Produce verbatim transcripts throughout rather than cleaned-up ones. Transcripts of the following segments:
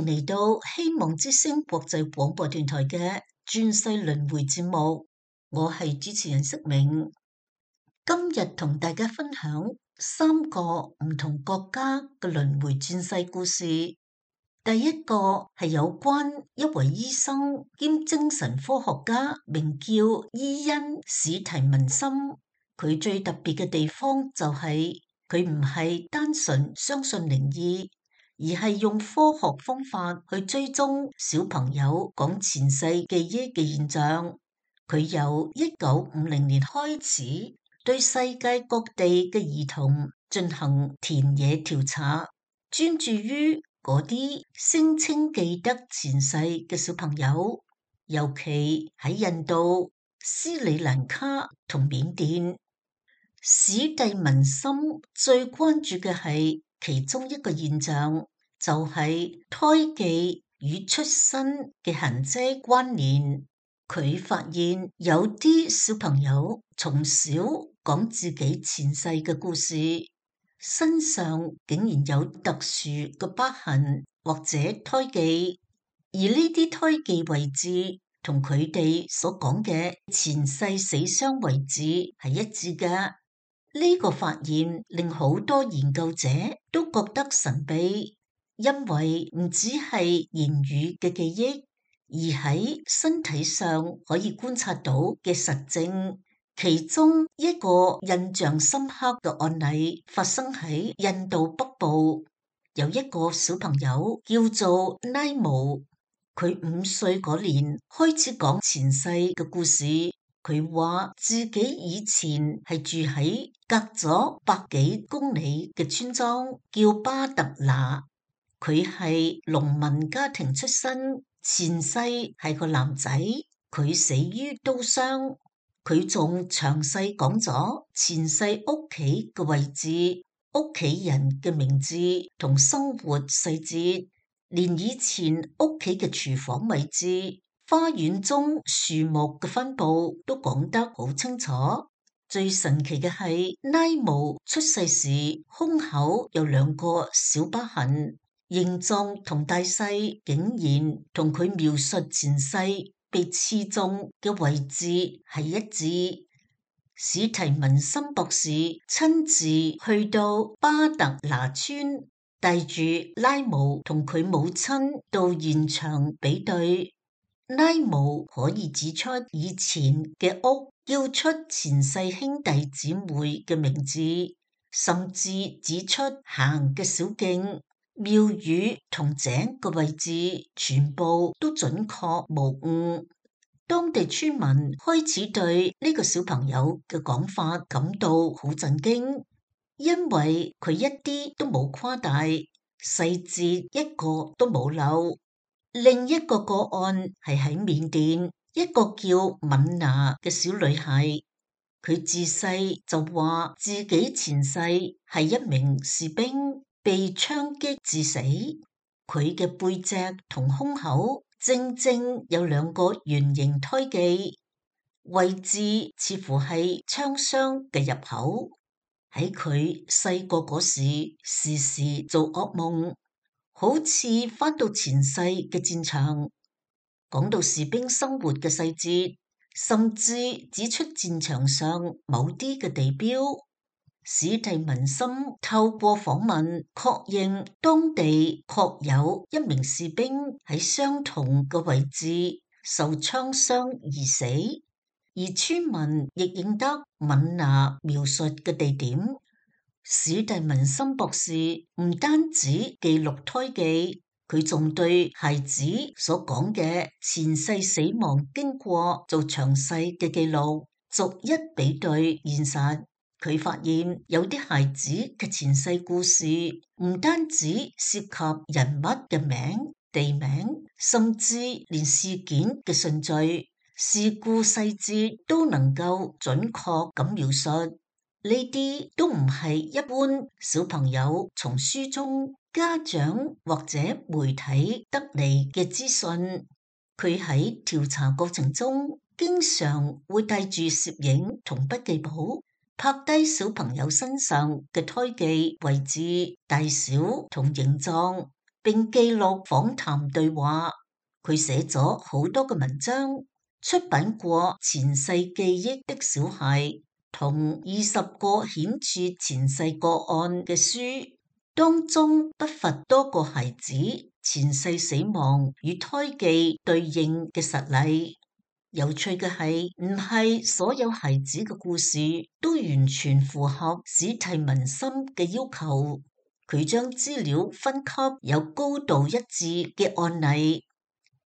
迎嚟到希望之聲國際廣播電台嘅轉世輪迴節目，我係主持人釋明。今日同大家分享三個唔同國家嘅輪迴轉世故事。第一個係有關一位醫生兼精神科學家，名叫伊恩史提文森。佢最特別嘅地方就係佢唔係單純相信靈異，而係用科學方法去追蹤小朋友講前世記憶嘅現象。佢由一九五零年開始對世界各地嘅兒童進行田野調查，專注於嗰啲聲稱記得前世嘅小朋友，尤其喺印度、斯里蘭卡同緬甸。史蒂文森最關注嘅係其中一個現象，就係胎記與出生嘅痕跡關聯。佢發現有啲小朋友從小講自己前世嘅故事，身上竟然有特殊嘅疤痕或者胎記，而呢啲胎記位置同佢哋所講嘅前世死傷位置係一致嘅。呢個發現令好多研究者都覺得神秘，因為唔只係言語嘅記憶，而喺身體上可以觀察到嘅實證。其中一個印象深刻嘅案例發生喺印度北部，有一個小朋友叫做拉姆，佢五歲嗰年開始講前世嘅故事。佢話自己以前係住喺隔咗百幾公里嘅村莊，叫巴特拿。佢係農民家庭出身，前世係個男仔，佢死於刀傷。佢仲詳細講咗前世屋企嘅位置、屋企人嘅名字同生活細節，連以前屋企嘅廚房位置、花園中樹木嘅分布都講得好清楚。最神奇嘅係，拉姆出世時胸口有兩個小疤痕，形狀同大細竟然同佢描述前世被刺中嘅位置係一致。史提文森博士親自去到巴特拿村，帶住拉姆同佢母親到現場比對。拉姆可以指出以前嘅屋，叫出前世兄弟姊妹嘅名字，甚至指出行嘅小徑、廟宇同井嘅位置，全部都準確無誤。當地村民開始對呢個小朋友嘅講法感到好震驚，因為佢一啲都冇誇大，細節一個都冇漏。另一個個案係喺緬甸，一個叫敏娜嘅小女孩，佢自細就話自己前世係一名士兵，被槍擊致死。佢嘅背脊同胸口正正有兩個圓形胎記，位置似乎係槍傷嘅入口。喺佢細個嗰時，時時做噩夢，好似返到前世嘅戰場。講到士兵生活嘅細節，甚至指出戰場上某啲嘅地標。史蒂文森透過訪問確認當地確有一名士兵喺相同嘅位置受槍傷而死，而村民亦認得敏娜描述嘅地點。史蒂文森博士唔單止記錄胎記，佢仲對孩子所講嘅前世死亡經過做詳細嘅記錄，逐一比對現實。佢發現有啲孩子嘅前世故事唔單止涉及人物嘅名、地名，甚至連事件嘅順序、事故細節都能夠準確咁描述。呢啲都唔係一般小朋友從書中、家長或者媒體得嚟嘅資訊。佢喺調查過程中經常會帶住攝影同筆記簿，拍低小朋友身上嘅胎記位置、大小同形狀，並記錄訪談對話。佢寫咗好多嘅文章，出版過前世記憶的小孩同二十個顯著前世個案嘅書，當中不乏多個孩子前世死亡與胎記對應嘅實例。有趣嘅係，唔係所有孩子嘅故事都完全符合史蒂文森嘅要求。佢將資料分級有高度一致嘅案例，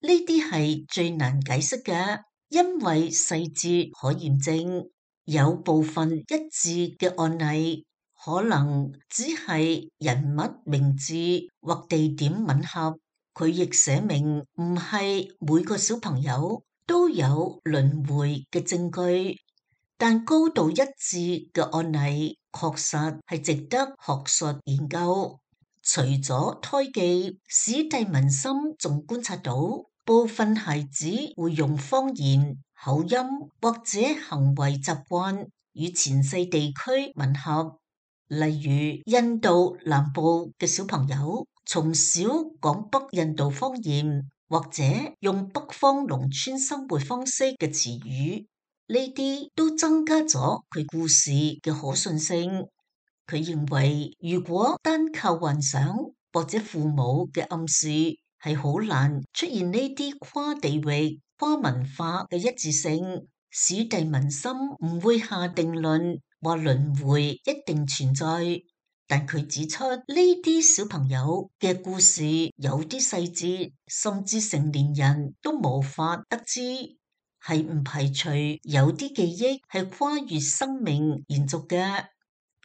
呢啲係最難解釋嘅，因為細節可驗證。有部分一致嘅案例，可能只係人物名字或地點吻合。佢亦寫明唔係每個小朋友都有輪迴嘅證據，但高度一致嘅案例確實係值得學術研究。除咗胎記，史蒂文森仲觀察到部分孩子會用方言、口音或者行為習慣與前世地區吻合，例如印度南部嘅小朋友從小講北印度方言，或者用北方農村生活方式嘅詞語，呢啲都增加咗佢故事嘅可信性。佢認為，如果單靠幻想或者父母嘅暗示，係好難出現呢啲跨地域、跨文化嘅一致性。史蒂文森唔會下定論話輪迴一定存在，但佢指出呢啲小朋友嘅故事有啲細節，甚至成年人都無法得知，係唔排除有啲記憶係跨越生命延續嘅。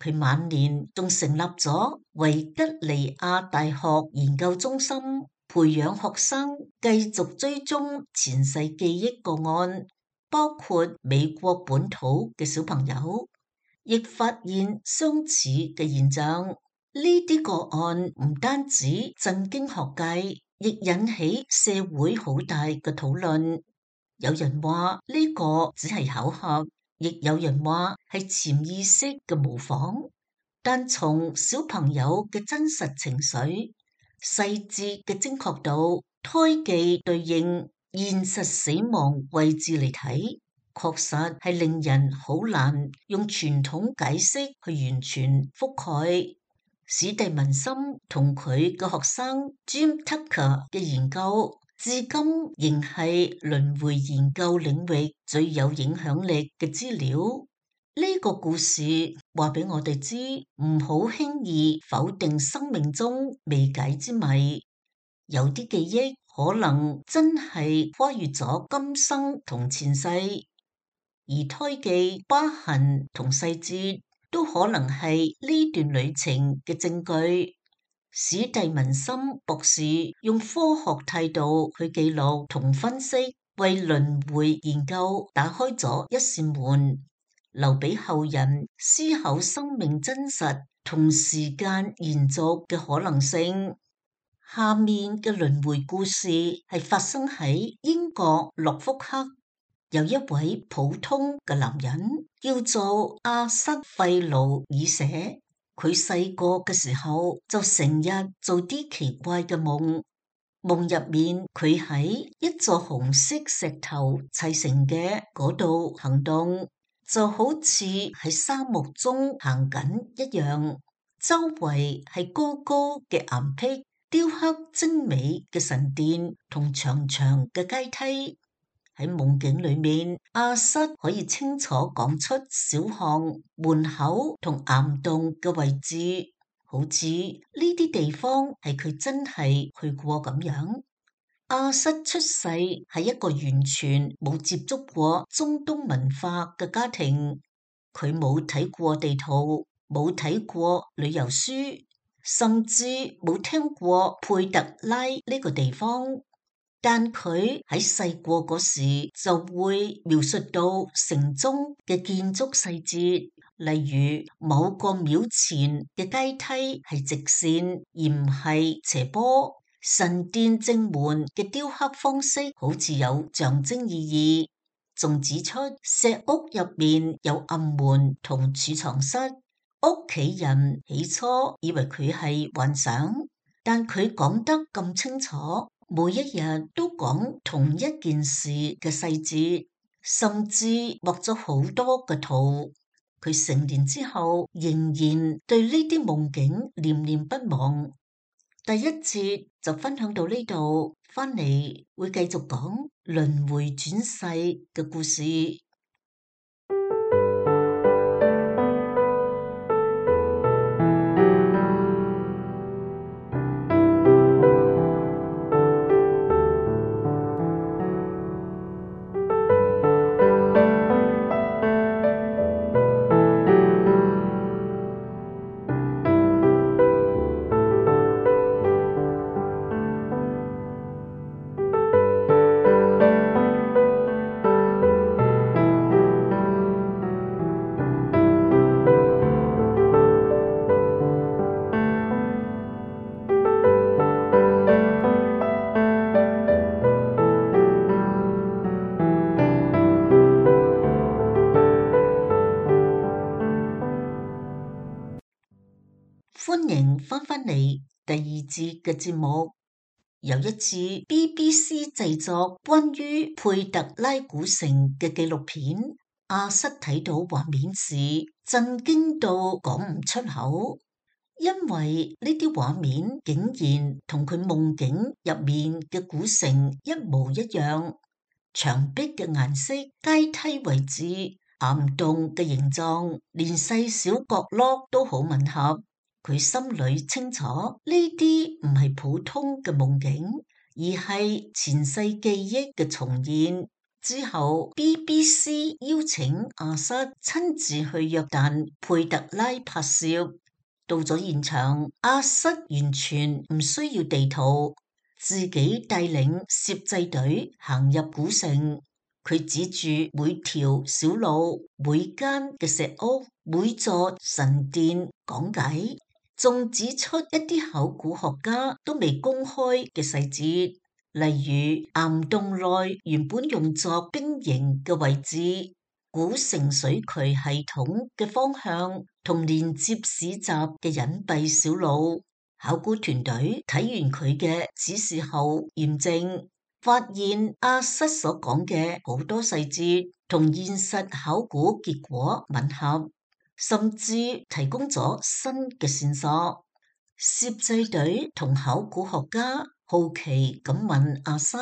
佢晚年仲成立咗維吉尼亞大學研究中心，培養學生繼續追蹤前世記憶個案，包括美國本土嘅小朋友，亦發現相似嘅現象。呢啲個案唔單止震驚學界，亦引起社會好大嘅討論。有人話呢個只係巧合，亦有人話係潛意識嘅模仿。但從小朋友嘅真實情緒、細節嘅精確度、胎記對應現實死亡位置嚟睇，確實係令人好難用傳統解釋去完全覆蓋。史蒂文森同佢嘅學生 Jim Tucker 嘅研究，至今仍係輪迴研究領域最有影響力嘅資料。呢個故事話俾我哋知，唔好輕易否定生命中未解之謎。有啲記憶可能真係跨越咗今生同前世，而胎記、疤痕同細節都可能係呢段旅程嘅證據。史蒂文森博士用科學態度去記錄同分析，為輪迴研究打開咗一扇門，留俾後人思考生命真實同時間延續嘅可能性。下面嘅輪迴故事係發生喺英國諾福克，有一位普通嘅男人叫做阿瑟費魯爾舍。佢細個嘅時候就成日做啲奇怪嘅夢，夢入面佢喺一座紅色石頭砌成嘅嗰度行動，就好似喺沙漠中行緊一樣，周圍係高高嘅岩壁、雕刻精美嘅神殿同長長嘅階梯。喺夢境裏面，阿瑟可以清楚講出小巷、門口同岩洞嘅位置，好似呢啲地方係佢真係去過咁樣。阿瑟出世喺一個完全冇接觸過中東文化嘅家庭，佢冇睇過地圖，冇睇過旅遊書，甚至冇聽過佩特拉呢個地方。但佢喺細個嗰時就會描述到城中嘅建築細節，例如某個廟前嘅階梯係直線而唔係斜坡，神殿正門嘅雕刻方式好似有象徵意義，仲指出石屋入面有暗門同儲藏室。屋企人起初以為佢係幻想，但佢講得咁清楚，每一日都講同一件事嘅細節，甚至畫咗好多嘅圖。佢成年之後仍然對呢啲夢境念念不忘。第一節就分享到呢度，翻嚟會繼續講輪迴轉世嘅故事。歡迎翻返嚟第二節嘅節目。有一次 B B C 製作關於佩特拉古城嘅紀錄片，阿瑟睇到畫面時震驚到講唔出口，因為呢啲畫面竟然同佢夢境入面嘅古城一模一樣，牆壁嘅顏色、階梯位置、岩洞嘅形狀，連細小角落都好吻合。佢心裏清楚，呢啲唔係普通嘅夢境，而係前世記憶嘅重現。之後 B B C 邀請阿瑟親自去約旦佩特拉拍攝。到咗現場，阿瑟完全唔需要地圖，自己帶領攝製隊行入古城。佢指住每條小路、每間嘅石屋、每座神殿講解，仲指出一啲考古學家都未公開嘅細節，例如岩洞內原本用作兵營嘅位置、古城水渠系統嘅方向同連接市集嘅隱蔽小路。考古團隊睇完佢嘅指示後驗證，發現阿瑟所講嘅好多細節同現實考古結果吻合，甚至提供咗新嘅線索。攝製隊同考古學家好奇咁問阿瑟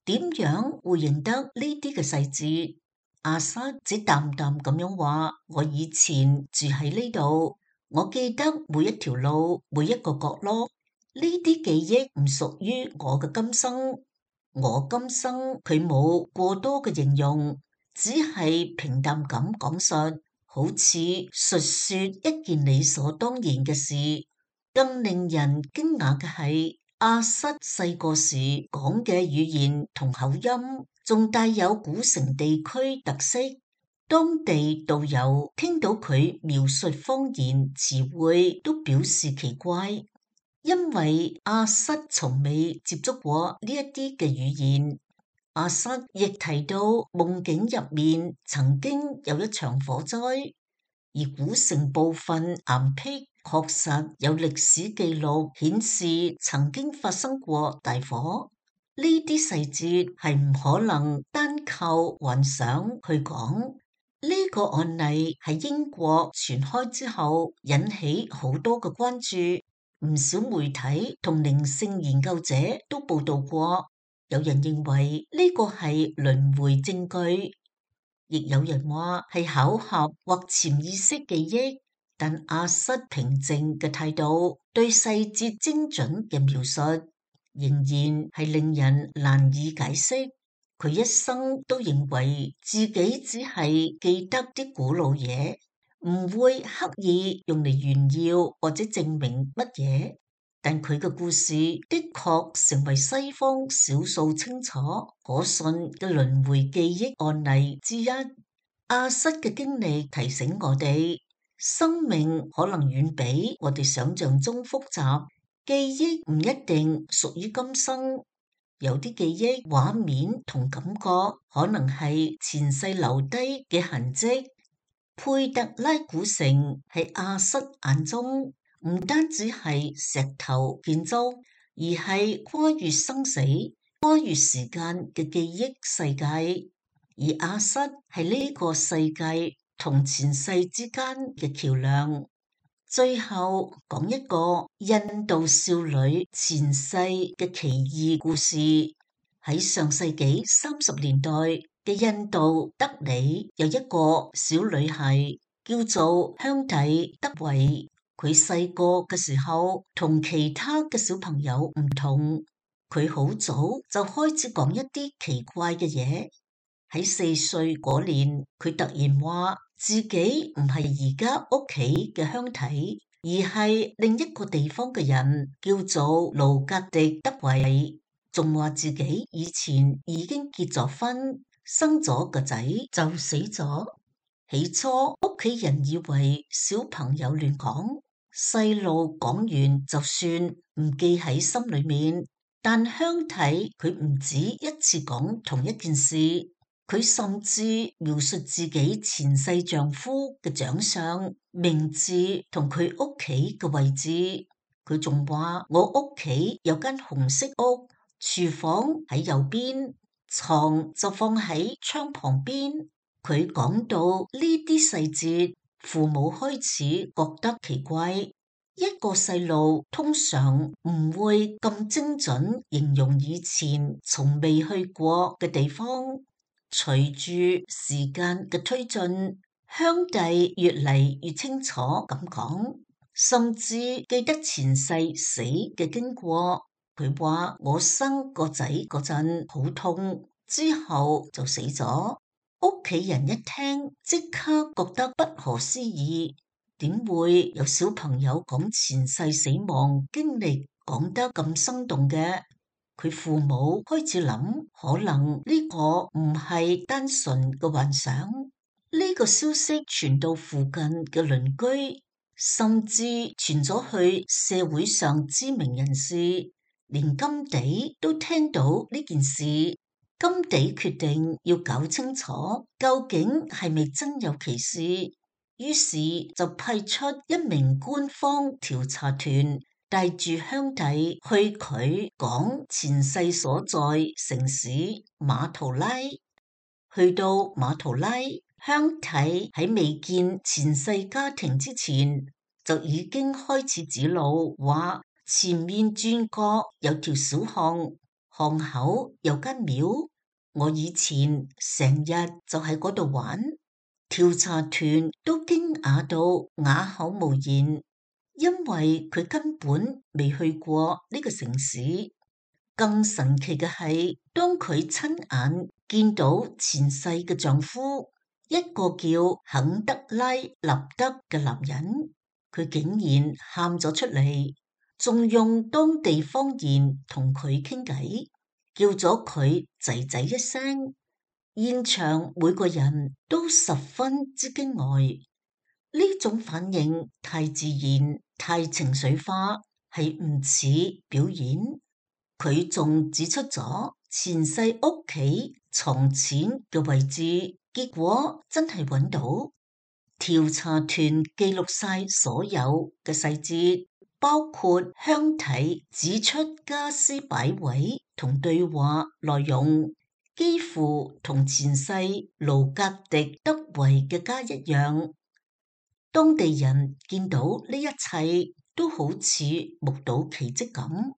點樣會認得呢啲嘅細節。阿瑟只淡淡咁樣話：我以前住喺呢度，我記得每一條路、每一個角落。呢啲記憶唔屬於我嘅今生。我今生佢冇過多嘅形容，只係平淡咁講述，好似述說一件理所當然嘅事。更令人驚訝嘅係，阿瑟細個時講嘅語言同口音，仲帶有古城地區特色。當地導遊聽到佢描述方言詞彙，都表示奇怪，因為阿瑟從未接觸過呢一啲嘅語言。阿瑟亦提到夢境入面曾經有一場火災，而古城部分岩壁確實有歷史記錄顯示曾經發生過大火。呢啲細節係唔可能單靠幻想去講。呢個案例喺英國傳開之後，引起好多嘅關注，唔少媒體同靈性研究者都報道過。有人認為呢個係輪迴證據，亦有人話係巧合或潛意識記憶。但阿瑟平靜嘅態度，對細節精準嘅描述，仍然係令人難以解釋。佢一生都認為自己只係記得啲古老嘢，唔會刻意用嚟炫耀或者證明乜嘢。但佢嘅故事的確成為西方少數清楚可信嘅輪迴記憶案例之一。阿瑟嘅經歷提醒我哋，生命可能遠比我哋想象中複雜，記憶唔一定屬於今生，有啲記憶畫面同感覺可能係前世留低嘅痕跡。佩特拉古城喺阿瑟眼中唔單止係石頭建築，而係跨越生死、跨越時間嘅記憶世界。而亞瑟係呢個世界同前世之間嘅橋樑。最後講一個印度少女前世嘅奇異故事。喺上世紀三十年代嘅印度德里，有一個小女孩叫做香蒂德維。佢細個嘅時候同其他嘅小朋友唔同，佢好早就開始講一啲奇怪嘅嘢。喺四歲嗰年，佢突然話自己唔係而家屋企嘅香蒂，而係另一個地方嘅人，叫做盧格迪德維。仲話自己以前已經結咗婚，生咗個仔就死咗。起初屋企人以為小朋友亂講，細路講完就算，唔記喺心裏面。但香蒂佢唔止一次講同一件事，佢甚至描述自己前世丈夫嘅長相、名字同佢屋企嘅位置。佢仲話我屋企有間紅色屋，廚房喺右邊，床就放喺窗旁邊。佢講到呢啲細節，父母開始覺得奇怪。一個細路通常唔會咁精準形容以前從未去過嘅地方。隨住時間嘅推進，香蒂越嚟越清楚咁講，甚至記得前世死嘅經過。佢話我生個仔嗰陣好痛，之後就死咗。屋企人一聽即刻覺得不可思議，點會有小朋友講前世死亡經歷講得咁生動嘅？佢父母開始諗，可能呢個唔係單純嘅幻想。呢個消息傳到附近嘅鄰居，甚至傳咗去社會上知名人士。連甘地都聽到呢件事，甘地決定要搞清楚究竟係咪真有其事，於是就派出一名官方調查團，帶住香蒂去佢講前世所在城市馬圖拉。去到馬圖拉，香蒂喺未見前世家庭之前，就已經開始指路，話前面轉角有條小巷，巷口有間廟，我以前成日就喺嗰度玩。調查團都驚訝到啞口無言，因為佢根本未去過呢個城市。更神奇嘅係，當佢親眼見到前世嘅丈夫，一個叫肯德拉納德嘅男人，佢竟然喊咗出嚟，仲用當地方言同佢傾偈，叫咗佢仔仔一聲。現場每個人都十分之驚呆，呢種反應太自然、太情緒化，係唔似表演。佢仲指出咗前世屋企藏錢嘅位置，結果真係揾到。調查團記錄晒所有嘅細節，包括香蒂指出家私擺位同對話內容，幾乎同前世盧格迪德維嘅家一樣。當地人見到呢一切都好似目睹奇蹟咁。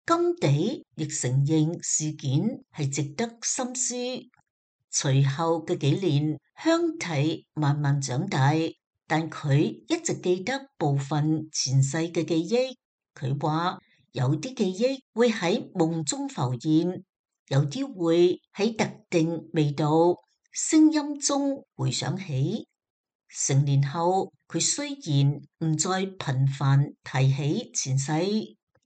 甘地亦承認事件係值得深思。隨後嘅幾年，香蒂慢慢長大，但佢一直記得部分前世嘅記憶。佢話有啲記憶會喺夢中浮現，有啲會喺特定味道、聲音中回想起。成年後，佢雖然唔再頻繁提起前世，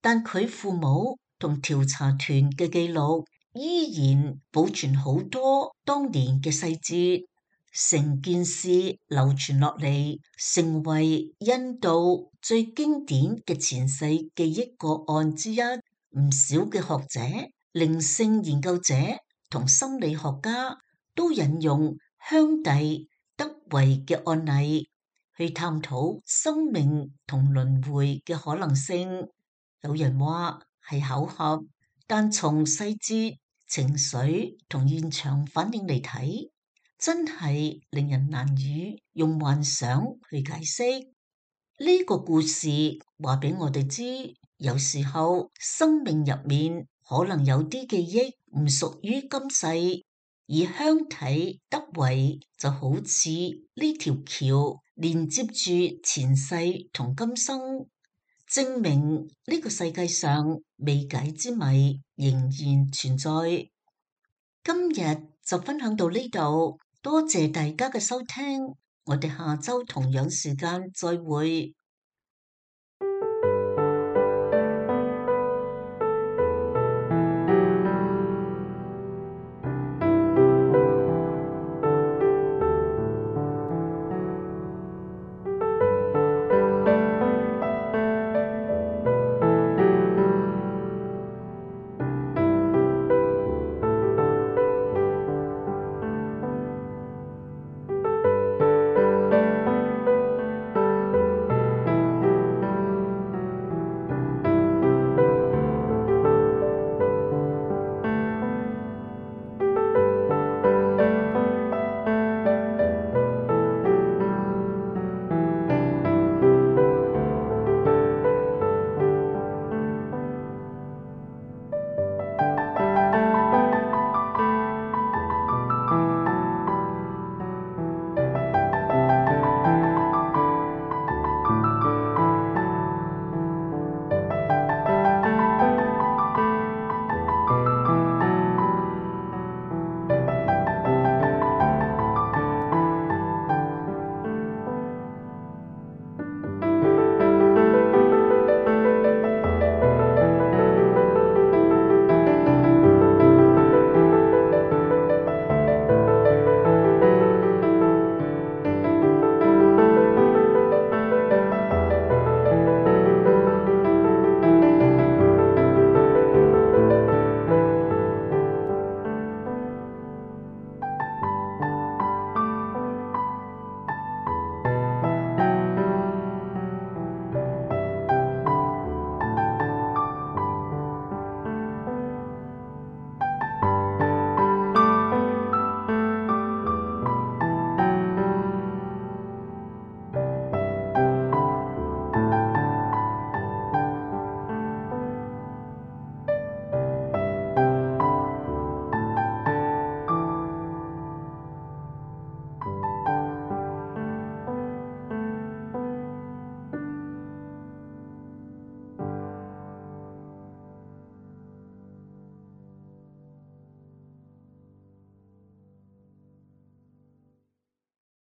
但佢父母同調查團嘅記錄依然保存好多當年嘅細節，成件事流傳落嚟，成為印度最經典嘅前世記憶個案之一。唔少嘅學者、靈性研究者同心理學家都引用香蒂德維嘅案例，去探討生命同輪迴嘅可能性。有人話係巧合，但從細節、情緒同現場反應嚟睇，真係令人難以用幻想去解釋。呢個故事話俾我哋知，有時候生命入面可能有啲記憶唔屬於今世，而香體德維就好似呢條橋連接住前世同今生，證明呢個世界上未解之謎仍然存在。今日就分享到呢度，多謝大家嘅收聽，我哋下周同樣時間再會。